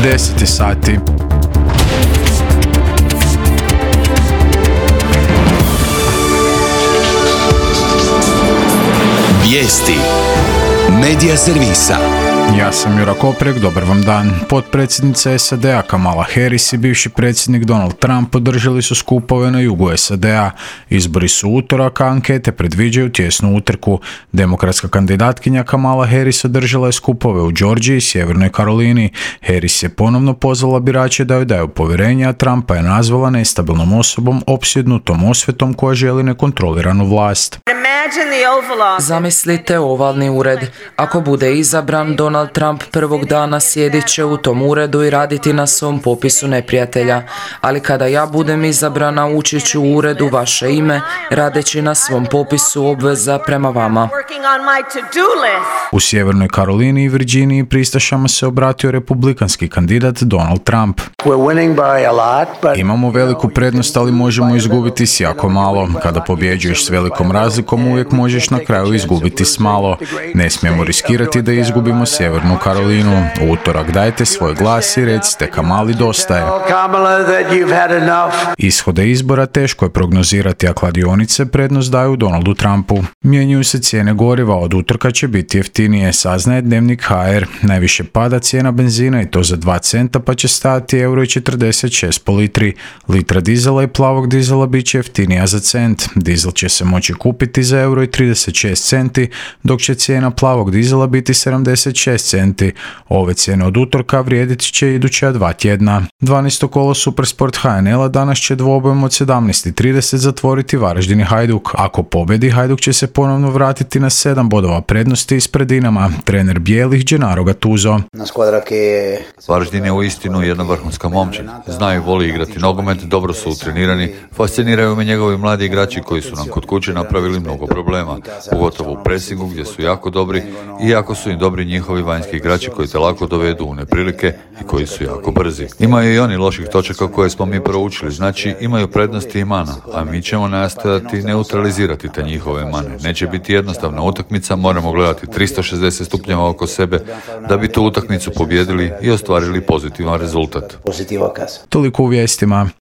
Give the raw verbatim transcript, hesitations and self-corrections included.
deset sati. Vijesti Medija servisa. Ja sam Jura Koprek, dobar vam dan. Potpredsjednica S A D-a Kamala Harris i bivši predsjednik Donald Trump održali su skupove na jugu S A D-a. Izbori su utorak, a ankete predviđaju tjesnu utrku. Demokratska kandidatkinja Kamala Harris održala je skupove u Georgiji i Sjevernoj Karolini. Harris je ponovno pozvala birače da joj daju povjerenje, a Trumpa je nazvala nestabilnom osobom opsjednutom osvetom koja želi nekontroliranu vlast. Zamislite ovalni ured. Ako bude izabran, Donald Trump prvog dana sjedit će u tom uredu i raditi na svom popisu neprijatelja. Ali kada ja budem izabrana, ući ću u uredu vaše ime, radeći na svom popisu obveza prema vama. U Sjevernoj Karolini i Virginiji pristašama se obratio republikanski kandidat Donald Trump. Imamo veliku prednost, ali možemo izgubiti s jako malo. Kada pobjeđuješ s velikom razlikom, uvijek možeš na kraju izgubiti s malo. Ne smijemo riskirati da izgubimo Sjevernu Karolinu. U utorak dajte svoj glas i recite Kamali dosta je. Ishode izbora teško je prognozirati, a kladionice prednost daju Donaldu Trumpu. Mijenjaju se cijene goriva, od utorka će biti jeftinije, saznaje Dnevnik H R. Najviše pada cijena benzina i to za dva centa, pa će stajati euro i četrdeset šest po litri. Litra dizela i plavog dizela bit će jeftinija za cent. Dizel će se moći kupiti za euro i trideset šest centi, dok će cijena plavog dizela biti sedamdeset šest centi. Ove cijene od utorka vrijedit će iduća dva tjedna. dvanaesto kolo Supersport H N L-a danas će dvobojem od sedamnaest i trideset zatvoriti Varaždin i Hajduk. Ako pobjedi, Hajduk će se ponovno vratiti na sedam bodova prednosti ispred Dinama. Trener bijelih Gennaro Gattuso. Varaždin je uistinu jedna vrhunska momčina. Znaju, voli igrati nogomet, dobro su utrenirani, fasciniraju me njegovi mladi igrači koji su nam kod kuće napravili mnogo problema, pogotovo u presingu gdje su jako dobri, i jako su im dobri njihovi vanjski igrači koji te lako dovedu u neprilike i koji su jako brzi. Imaju i oni loših točaka koje smo mi proučili, znači imaju prednosti i mana, a mi ćemo nastojati neutralizirati te njihove mane. Neće biti jednostavna utakmica, moramo gledati tristo šezdeset stupnjeva oko sebe da bi tu utakmicu pobjedili i ostvarili pozitivan rezultat. Toliko u vijestima.